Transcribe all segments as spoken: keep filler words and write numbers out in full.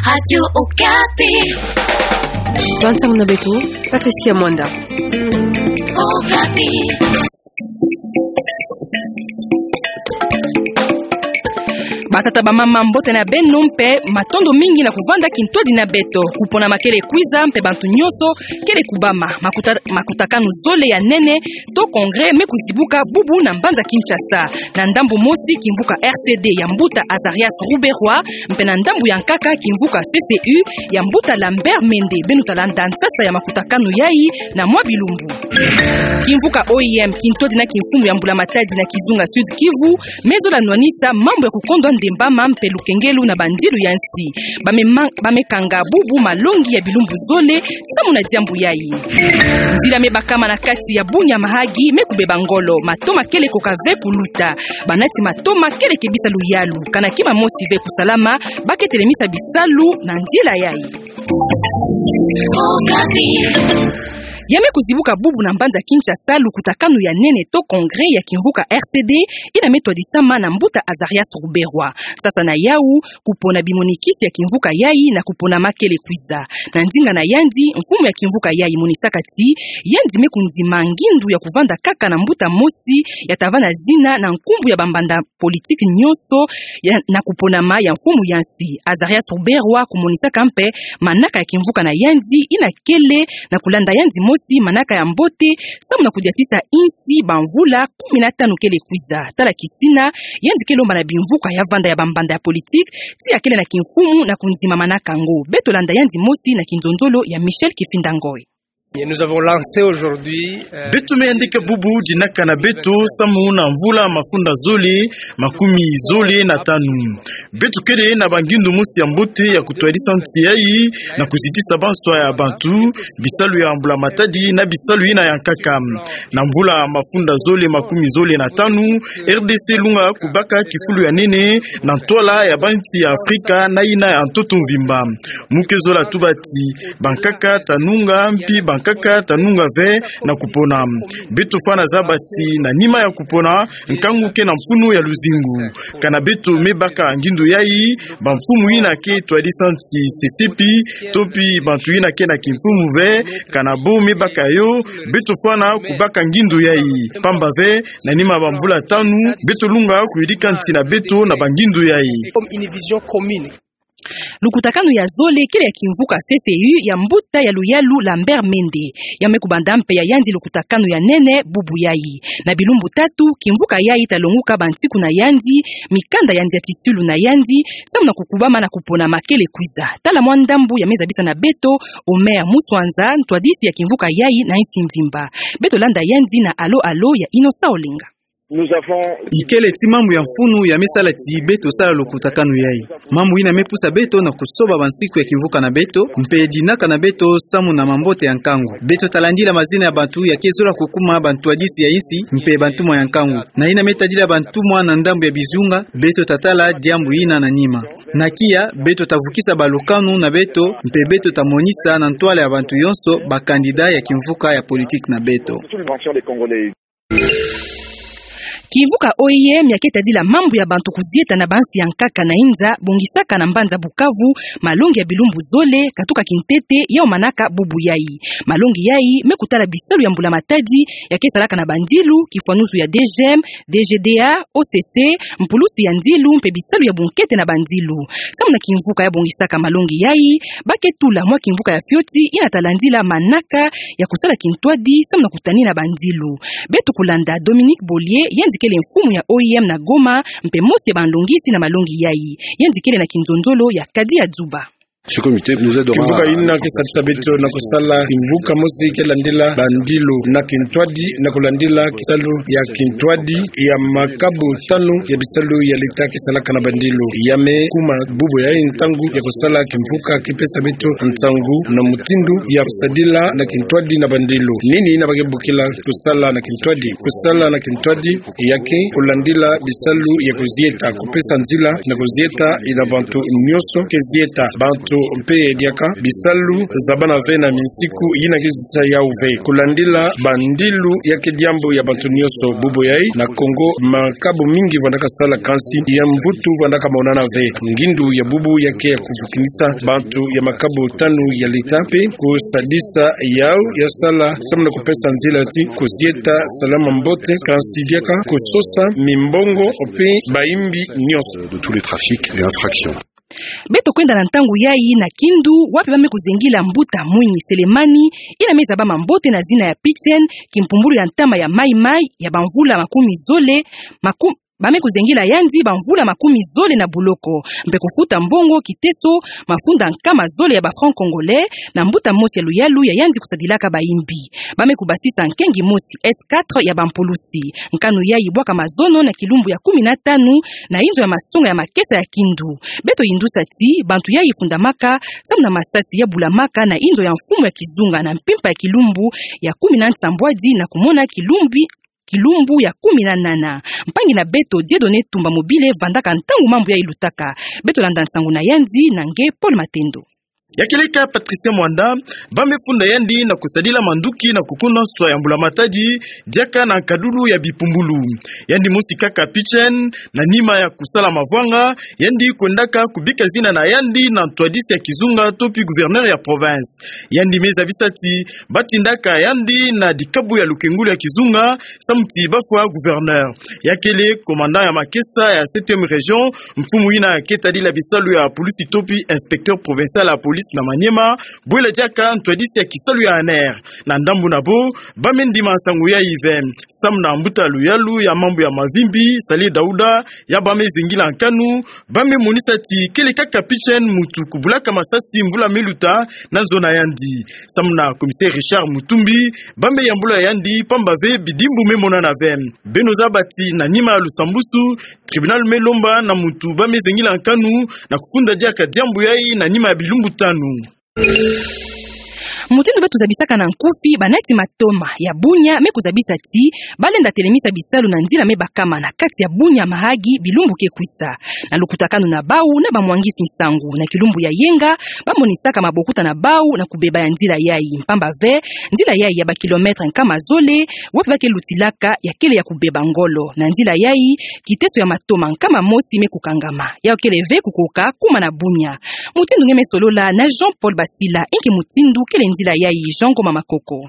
Radio Okapi. Bantu na beto, Patricia Mwanda. Okapi. Batata, bamama, mbote na beno mpe matondo mingi na kuvanda kintwadi na beto. Kupona makele kwiza mpe bantu nyonso kele kubama. Makuta-, makutakanu zole ya nene to congrès me kuzibuka bubu na mbanza Kinshasa. Na ndambu mosi, kimvuka R C D ya mbuta Azarias Ruberwa, mpe na ndambu ya nkaka, kimvuka C C U ya mbuta Lambert Mende. Beno talanda nsasa ya makutakanu yai na mwa bilumbu. Kimvuka O I M, kintwadi na kimfumu ya mbula matadi na kizunga Sud Kivu, me zola nwanisa mambu ya kukondwa ndembama mpe lukengelu na bandilu ya nsi. Bame ma-, bame kanga bubu malongi ya bilumbu zole samu na diambu yai. Nzila me bakama na kati ya Bunia Mahagi me kubeba ngolo, matoma kele koka ve kuluta. Banati matoma kele kebisa luyalu, kana kima mosi ve kusalama, ba ke telemisa bisalu na nzila yai. Ya me kuzibuka bubu na mbanza Kinshasa lukutakanu ya nene to congrès ya kimvuka R C D, ina me twadisama na mbuta Azarias Ruberwa. Sasa na yau, kupona bimonikisi ya kimvuka yai na kupona makele kwiza. Na nzinga na yandi, mfumu ya kimvuka yai monisaka ti yandi me kundima ngindu ya kuvanda kaka na mbuta mosi ya tavana zina na nkumbu ya bambanda politique nyonso ya, na kuponama ya mfumu ya nsi. Azarias Ruberwa kumonisaka mpe manaka ya kimvuka na yandi ina kele na kulanda yandi mosi manaka ya mbote samu na kudiatisa insi bamvula kumi na tanu kele kwiza. Tala kisina, yandi ke lomba na bimvuka ya vanda ya bambanda ya politique ti ya kele na kimfumu na kundima manaka yango. Beto landa yandi mosi na kinzonzolo ya Michel Kifinda Ngoy. Et nous avons lancé aujourd'hui, euh, Beto me yandika bubu dinaka na beto samu na mvula mafunda zole makumi zole na tanu. Beto kele na bangindu mosi ya mbote ya kutwadisa nsi yai na kuzitisa banswa ya bantu, bisalu ya mbula matadi na bisalu ina ya nkaka. Na mvula mafunda zole makumi zole na tanu, R D C lunga kubaka kifulu ya nene na ntwala ya bansi ya Afrika na ina ya ntoto mvimba. Mu ke zola tuba ti bankaka ta nunga, mpi bankaka ta nunga ve na kupona. Beto fwana zaba ti na nima ya kupona, nkangu ke na mfunu ya luzingu. Kana beto me baka ngindu yai, bamfumu ina ke twadisa nsi sesepi, to mpi bantu ina ke na kimfumu ve, kana bo me baka yo, beto fwana kubaka ngindu yai. Pamba ve, na nima bamvula tanu, beto lunga kuyidika nsi na beto na bangindu yai. Comme une vision commune. Lukutakanu ya zole kele ya kimvuka C C U ya mbuta ya luyalu Lambert Mende. Ya me kubanda mpe ya yandi lukutakanu ya nene bubu yai. Na bilumbu tatu, kimvuka yai ta longuka bansiku na yandi, mikanda ya ndiatisilu na yandi, samu na kukubama na kupona makele kwiza. Tala mwa ndambu ya me zabisa na beto Omer Muswanza, ntwadisi ya kimvuka yai na nsi mvimba. Beto landa yandi na Allô Allô ya Innocent Olenga. Nous avons Ikele ti mambu ya mfunu ya me sala ti beto sala lukutakanu yai. Mambu ina me pusa beto na kusoba bansiku ya kimvuka na beto, mpe dinaka na beto samu na mambote ya nkangu. Beto ta landila mazina ya bantu ya ke zola kukuma bantwadisi ya insi, mpe bantumwa ya nkangu. Na ina me tadila bantumwa na ndambu ya bizunga, beto ta tala diambu ina na nima. Na kia, beto ta vukisa balukanu na beto, mpe beto ta monisa na ntwala ya bantu yonso ba candidat ya kimvuka ya politique na beto. Kimvuka O I M ya ke tadila mambu ya bantu kuzieta na bansi ya nkaka na inza, bongisaka na mbanza Bukavu malongi ya bilumbu zole, katuka kintete, yau manaka bubu yai. Malongi yai me kutala bisalu ya mbula matadi ya ke salaka na bandilu, kifwanusu ya D G M, D G D A, O C C, mpulusi ya nzilu mpe bisalu ya bunkete na banzilu. Samu na kimvuka ya bongisaka malongi yai, ba ke tula mwa kimvuka ya fioti ina ta landila manaka ya kusala kintwadi samu na kutanina banzilu. Beto kulanda Dominique Bollier, yandi kele mfumu ya O I M na Goma, mpe mosi ya banlongisi na malongi yai. Yandi kele na kinzonzolo ya Kadi ya Dzuba. Ce comité nous aidera. Kimvuka ina ke sadisa beto na kusala kimvuka mosi ke landila bandilu na kintwadi, na kulandila kisalu ya kintwadi ya makabu tanu ya bisalu ya leta ke salaka na bandilu. Ya me kuma bubu yai ntangu ya kusala kimvuka ki pesa beto nsangu na mutindu ya kusadila na kintwadi na bandilu. Nini ina ba ke bokila kusala na kintwadi? Kusala na kintwadi ya ke kulandila bisalu ya kuzieta, kupesa nzila na kuzieta ina bantu nyonso ke zieta, bantu Mpe diaka bisalu zabana ve na minsiku yina ke zitisa yau ve. Kulandila bandilu ya ke diambu ya bantu nionso bubu yai na Kongo, makabu mingi vandaka sala, kansi ya mvutu vandaka monana ve. Ngindu ya bubu ya ke ya kuvukinisa bantu ya makabu tanu ya leta mpe kusadisa yau ya sala samu na kupesa nzila ti kuzieta salama mbote, kansi diaka kusosa mimbongo mpe bayimbi nionso. De tous les trafics et infractions. Beto kwenda na ntangu yai na Kindu, wapi ba me kuzengila mbuta Mwinyi Selemani, yina me zabama mbote na zina ya Pitchen, kimpumbulu ya ntama ya Mai Mai ya bamvula makumi zole, maku-, ba me kuzengila yandi bamvula makumi zole na buloko, mpe kufuta mbongo kiteso mafunda nkama zole ya ba francs congolais, na mbuta mosi ya luyalu ya yandi kusadilaka bayimbi. Ba me kubasisa nkengi mosi S quatre ya bampulusi. Nkanu yai bwaka mazono na kilumbu ya kumi na tanu na inzo ya masonga ya makesa ya Kindu. Beto yindusa ti bantu yai fundamaka samu na masasi ya bulamaka na inzo ya mfumu ya kizunga na mpimpa ya kilumbu ya kumi na nsambwadi na kumona kilumbi, kilumbu ya kumi na nana. Mpangi na beto Dieudonné Tumba Mobile vandaka ntangu mambu yai lutaka. Beto landa nsangu na yandi na nge Paul Matendo. Ya keleka Patricia Mwanda, ba me funda yandi na kusadila manduki na kukuna nswa ya mbulamatadi, diaka na nkadulu ya bipumbulu. Yandi mosi kaka Pitchen, na nima ya kusala mavwanga, yandi kwendaka kubika zina na yandi na ntwadisi ya kizunga to pi gouverneur ya province. Yandi me zabisa ti ba tindaka yandi na dikabu ya lukengulu ya kizunga, samu ti ba fwa gouverneur. Ya kele commandant ya makesa ya septième région, mfumu yina ke tadila bisalu ya pulusi to pi inspecteur provincial ya police na Maniema, bwela diaka ntwadisi ya kisalu ya ANR. Na ndambu na bo, ba me ndima nsangu yai ve. Samu na mbuta luyalu ya mambu ya mavimbi, Sali Dauda, ya ba me zengila nkanu, ba me monisa ti kele kaka Pitchen mutu kubulaka masasi mvula me luta na nzo na yandi. Samu na commissaire Richard Mutumbi, ba me yambula yandi pamba ve bidimbu me monana ve. Beno zaba ti na nima ya lusambusu, tribunal me lomba na mutu ba me zengila nkanu na kufunda diaka diambu yai na nima ya bilumbu tanu. Mutindu beto zabisaka na nkufi, banati matoma ya Bunia me kuzabisa ti ba lenda telemisa bisalu na nzila me bakama na kati ya Bunia Mahagi bilumbu ke kwisa. Na lukutakanu na bau na bamwangisi nsangu na kilumbu ya yenga, ba monisaka mabokuta na bau na kubeba ya nzila yai. Pamba ve, nzila yai ya ba kilomètre nkama zole, wapi ba ke lutilaka, ya kele ya kubeba ngolo. Na nzila yai, kiteso ya matoma nkama mosi me kukangama. Ya kele ve kukoka kuma na Bunia. Mutindu nge me solola na Jean-Paul Basila, inki mutindu kele nzila yai, Jean Ngoma Makoko.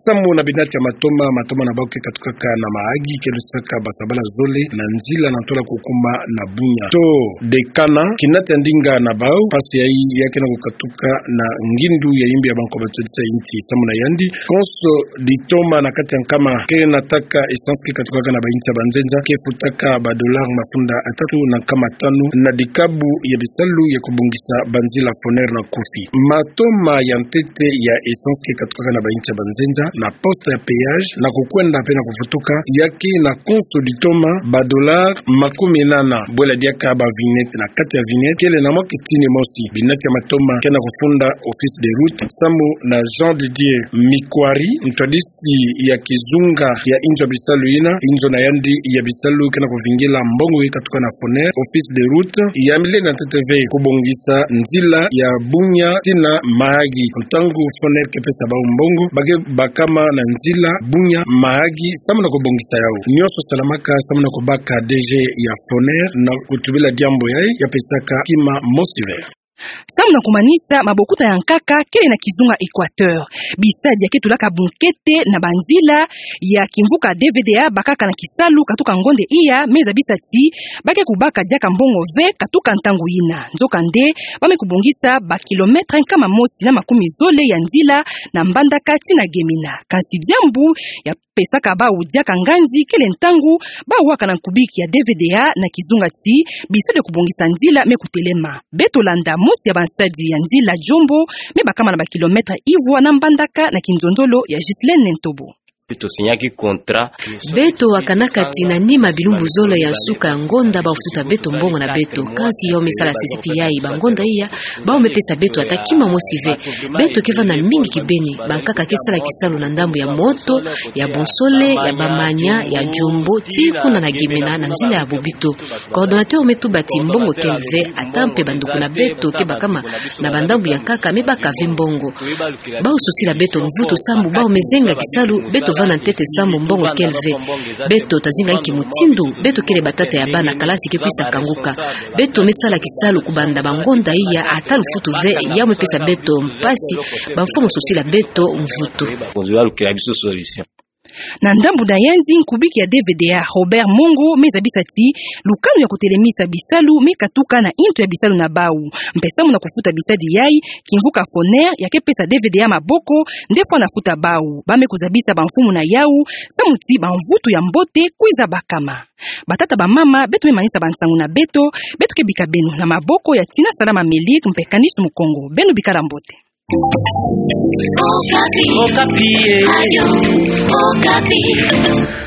Samu na binati ya matoma, matoma na bau ke katukaka na Mahagi, ke lutisaka basabala zole na nzila na ntola kukuma na Bunia. To dekana, kinati ya ndinga na bau, mpasi yai ya ke na kukatuka na ngindu ya yimbi ya banko batodisa inti. Samu na yandi, konso ditoma na kati ya nkama ke nataka essence ke katukaka na ba inti ya banzenza, ke futaka ba dollar mafunda atatu na nkama tanu na dikabu ya bisalu ya kubongisa banzila Foner na nkufi. Matoma ya ntete ya essence ke katukaka na ba inti ya banzenza na poste ya péage, na kukwenda mpe na kufutuka, ya ke na konso ditoma ba dollar makumi nana. Bwela diaka ba vignette na kati ya vignette, kele na mwa kitini mosi. Binati ya matoma ke na kufunda office de route. Samu na Jean Didier Mikwari, ntwadisi ya kizunga ya inzo ya bisalu yina, inzo na yandi ya bisalu ke na kuvingila mbongo ke katuka na Foner, office de route ya milenda ntete ve kubongisa nzila ya Bunia tii na Mahagi. Ntangu Foner ke pesa bau mbongo, ba ke bakama na nzila Bunia Mahagi samu na kubongisa yau. Nionso salamaka samu na kubaka D G ya Foner na kutubila diambu yai, ya pesaka kima mosi ve. Samu na kumanisa, mabokuta ya nkaka kele na kizunga Equateur. Bisadi ya ke tulaka bunkete na banzila ya kimvuka D V D A bakaka na kisalu katuka ngonde iya me zabisa ti ba ke kubaka diaka mbongo ve katuka ntangu yina. Nzokande, ba me kubongisa ba kilomètre nkama mosi na makumi zole ya nzila na Mbandaka tii na Gemena. Kansi diambu ya pesaka bau diaka nganzi kele ntangu bau waka na nkubiki ya D V D A na kizunga ti bisadi ya kubongisa nzila me kutelema. Beto landa mosi ya bansadi ya nzila Djombo me bakama na ba kilomètre ivwa na Mbandaka na kinzonzolo ya Ghislaine Ntobo. Beto wakanaka ti na nima bilumbu zole ya nsuka ya ngonda bau futa beto mbongo na beto. Kansi yau me sala sisi pi yai, ba ngonda iya bau me pesa beto ata kima mosi ve. Beto ke vanda mingi kibeni. Bankaka ke sala kisalu na ndambu ya moto, ya bonsole, ya bamanya, ya jombo, tii kuna na Gemena na nzila ya Bobito. Coordonnateur me tuba ti mbongo kele ve, ata mpe banduku na beto ke bakama na bandambu ya nkaka me baka ve mbongo. Bau sosila beto mvutu sambu bau me zenga kisalu, beto vanda ntete sambu mbongo kele ve. Beto tazinga nki mutindu beto kele batata ya bana kalasi ke kwisa kanguka. Beto me sala kisalu kubanda ba ngonda iya ata lufutu ve, yau me pesa beto mpasi, bamfo mo sosila beto mvutu. Na ndambu na yandi, nkubiki ya D V D A Robert Mongo me zabisa ti lukanu ya kutelemisa bisalu me katuka na nto ya bisalu na bau. Mpe samu na kufuta bisadi yai, kimvuka Foner ya ke pesa D V D A maboko nde fwana futa bau. Ba me kuzabisa bamfumu na yau samu ti bamvutu ya mbote kwiza bakama. Batata, bamama, beto me manisa bansangu na beto. Beto ke bika beno na maboko ya Tina Salama Melik mpe Kanish Mukongo. Beno bikala mbote. Okapi. Okapi, eh. Radio Okapi.